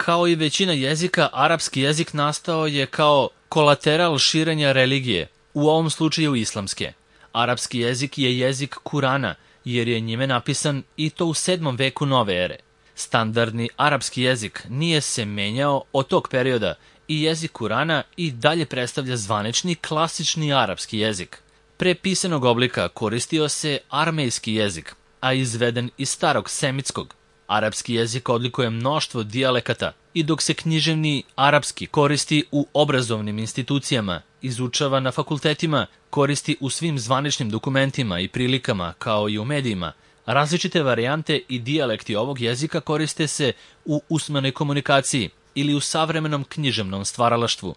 Kao i većina jezika, arapski jezik nastao je kao kolateral širenja religije, u ovom slučaju islamske. Arapski jezik je jezik Kurana, jer je njime napisan i to u 7. veku nove ere. Standardni arapski jezik nije se menjao od tog perioda i jezik Kurana i dalje predstavlja zvanični klasični arapski jezik. Pre pisanog oblika koristio se armejski jezik, a izveden iz starog semitskog. Arapski jezik odlikuje mnoštvo dijalekata i dok se književni arapski koristi u obrazovnim institucijama, izučava na fakultetima, koristi u svim zvaničnim dokumentima i prilikama kao i u medijima, različite varijante i dijalekti ovog jezika koriste se u usmenoj komunikaciji ili u savremenom književnom stvaralaštvu.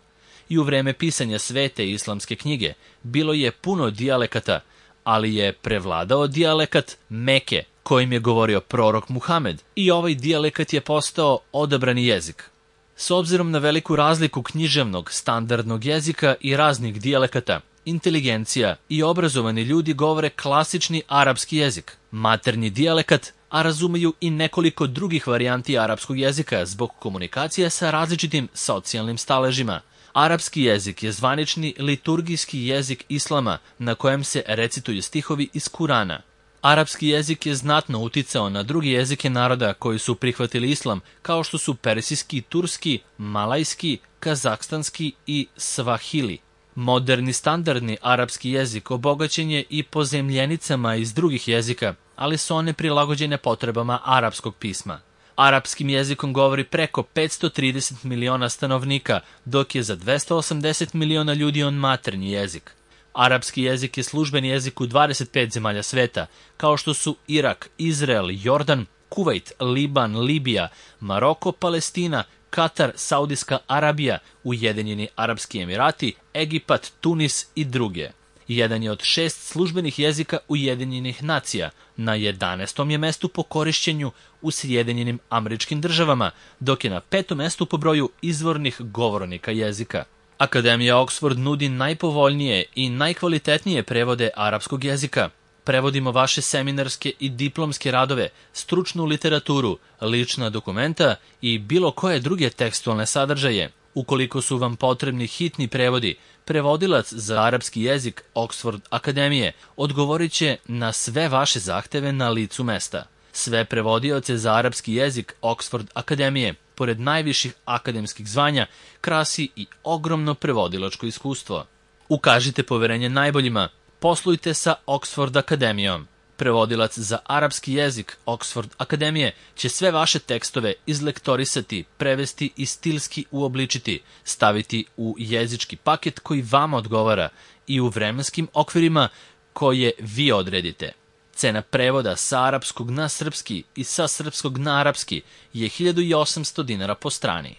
I u vreme pisanja Svete islamske knjige bilo je puno dijalekata, ali je prevladao dijalekat Meke, kojim je govorio prorok Muhamed, i ovaj dijalekat je postao odabrani jezik. S obzirom na veliku razliku književnog standardnog jezika i raznih dijalekata, inteligencija i obrazovani ljudi govore klasični arapski jezik, maternji dijalekat, a razumeju i nekoliko drugih varijanti arapskog jezika zbog komunikacije sa različitim socijalnim staležima. Arapski jezik je zvanični liturgijski jezik islama na kojem se recituju stihovi iz Kurana. Arapski jezik je znatno uticao na druge jezike naroda koji su prihvatili islam, kao što su persijski, turski, malajski, kazahstanski i svahili. Moderni standardni arapski jezik obogaćen je i pozemljenicama iz drugih jezika, ali su one prilagođene potrebama arapskog pisma. Arapskim jezikom govori preko 530 miliona stanovnika, dok je za 280 miliona ljudi on maternji jezik. Arapski jezik je službeni jezik u 25 zemalja sveta, kao što su Irak, Izrael, Jordan, Kuvajt, Liban, Libija, Maroko, Palestina, Katar, Saudijska Arabija, Ujedinjeni Arapski Emirati, Egipat, Tunis i druge. Jedan je od 6 službenih jezika Ujedinjenih nacija, na 11. je mestu po korišćenju u Sjedinjenim Američkim Državama, dok je na 5. mestu po broju izvornih govornika jezika. Akademija Oxford nudi najpovoljnije i najkvalitetnije prevode arapskog jezika. Prevodimo vaše seminarske i diplomske radove, stručnu literaturu, lična dokumenta i bilo koje druge tekstualne sadržaje. Ukoliko su vam potrebni hitni prevodi, prevodilac za arapski jezik Oxford Akademije odgovorit će na sve vaše zahteve na licu mesta. Sve prevodioce za arapski jezik Oxford Akademije, pored najviših akademskih zvanja, krasi i ogromno prevodilačko iskustvo. Ukažite poverenje najboljima, poslujte sa Oxford Akademijom. Prevodilac za arapski jezik Oxford Akademije će sve vaše tekstove izlektorisati, prevesti i stilski uobličiti, staviti u jezički paket koji vama odgovara i u vremenskim okvirima koje vi odredite. Cena prevoda sa arapskog na srpski i sa srpskog na arapski je 1800 dinara po strani.